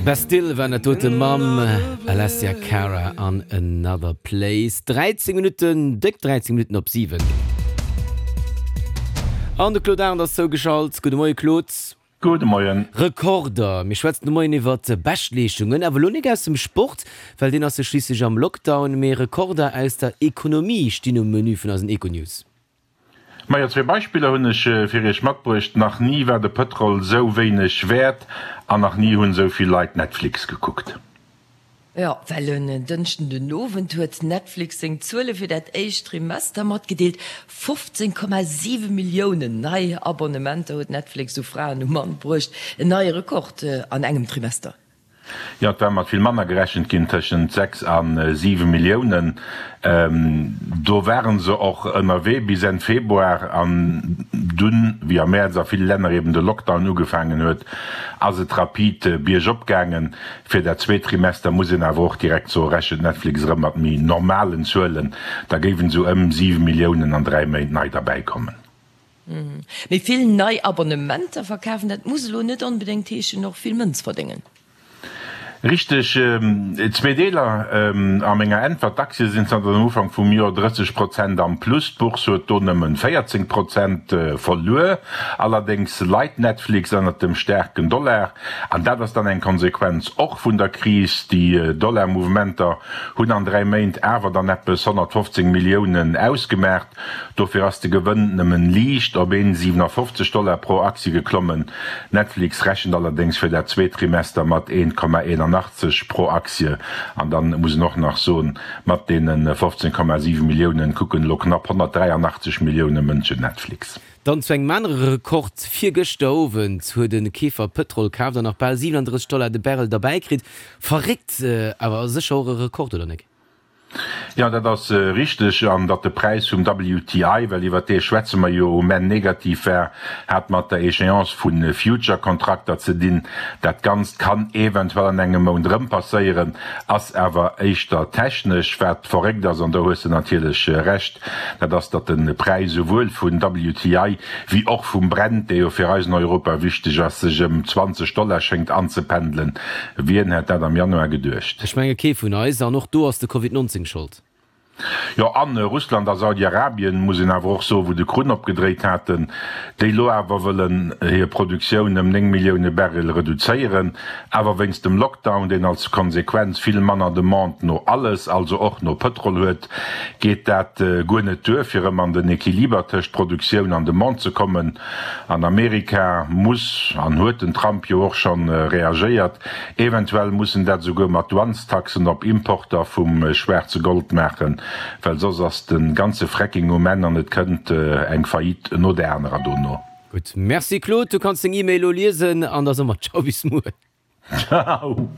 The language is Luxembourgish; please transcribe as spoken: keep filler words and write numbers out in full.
Bastille war dat dote mam Alessia Cara an Another Place. dräizéng Minutten, déck dräizéng Minutten op siwen. An de Claude Arndt ass zougeschalt. Gudde Moie Claude. Gudde Moien. Rekorder, Mir schwätzen de Moien iwwer Beschtleeschtungen, awer elo nik aus dem Sport, well deen ass jo schliisslech am Lockdown, mee Rekorder aus der Ekonomie stinn um Menü vun eisen Econews. Majo, zwee Beispiller hunn ech fir Iech matbruecht, Nach ni war de Pëtrol sou wéineg wäert an nach ni hunn sou vill Leit Netflix gekuckt. Jo, well en Dënschden den Owend huet Netflix seng Zuele fir dat éischt Trimester matgedeelt. fofzéng Komma siwe Milliounen nei Abonnementer huet Netflix u Fraen um Mann bruecht, en neie Rekord an engem Trimester. Jo, et war mat vill manner gerechent ginn, tëschent sechs a siwe Milliounen. Do ware se och ënnerwee bis Enn Februar. An dunn, wéi am Mäerz a ville Länner eben de Lockdown ugefaangen huet, ass et rapid biergop gaangen. Fir dat zweet Trimester muss een awer och direkt soen, rechent Netflix erëm mat méi normalen Zuelen. Da géiwen esou ëm siwe Milliounen an dräi Méint nei derbäikommen. Méi vill nei Abonnementer verkafen, dat muss elo net onbedéngt heeschen, och vill Mënz verdéngen. Richteg, zwee Deeler a menger Äntwert. D'Aktie sinn zanter dem Ufank vum Joer drësseg Prozent am Plus, d'Bourse huet do nëmmen véierzéng Prozent verluer. Allerdéngs leit Netflix ënnert dem staarken Dollar, an dat ass dann eng Konsequenz och vun der Kris. Déi Dollar-Mouvementer hunn an dräi Méint awer dann eppes honnertfofzéng Milliounen ausgemaacht. Dofir ass de Gewënn nëmmen liicht op een siwenafofzeg Dollar pro Aktie geklommen. Netflix rechent allerdéngs fir dat zweet Trimester mat een Komma eenanachtzeg pro Aktie. An dann muss een och nach soen, mat deene fofzéng Komma siwe Milliounen kucken elo knapp honnertdräianachtzeg Millioune Mënschen Netflix. Dann zu engem anere Rekord, Virgëschter Owend huet e Keefer Pëtrol kaaft an nach bal siwenandrësseg Dollar de Barrel derbäi kritt. Verréckt, awer sécher och e Rekord, oder nek? Jo, dat ass richteg. An datt de Präis vum W T I, well iwwert dee schwätze mer jo, um Enn negativ war, hat mat der Échéance vu Future-Kontrakter ze dinn. Dat Ganzt kann eventuell an engem Mount erëm passéieren, ass awer éischter technesch. Wat verréckt ass, an do hues de natierlech Recht, dat ass, datt de Präis esouwuel vun W T I wéi och vum Brent, dee jo fir eis an Europa wichteg ass, sech ëm zwanzeg Dollar schéngt anzependelen. Wien hätt dat am Januar geduecht? Ech menge kee vun eis. An och do ass de Covid neunzéng Schold. Jo, an Russland a Saudi-Arabien, muss een awer och soen, wou de Krunn opgedréit haten, déi elo awer wëllen hir Produktioun ëm néng Millioune Barrel reduzéieren, awer wéinst dem Lockdown, deen als Konsequenz vill manner Demande no alles, also och no Pëtrol huet, geet dat guer net duer, fir erëm an den Equiliber tëscht Produktioun an Demande ze kommen. An Amerika muss an huet den Trump jo och schonn reagéiert, eventuell muss en dat esouguer mat Douanestaxen op Importer vum schwaarze Gold maachen, well soss ass de ganze Fracking um Enn an et kënnt eng Faillite no där anerer dono. Gutt, merci Claude, du kanns deng E-Mail elo liesen an da soe mer Ciao bis muer. Ciao.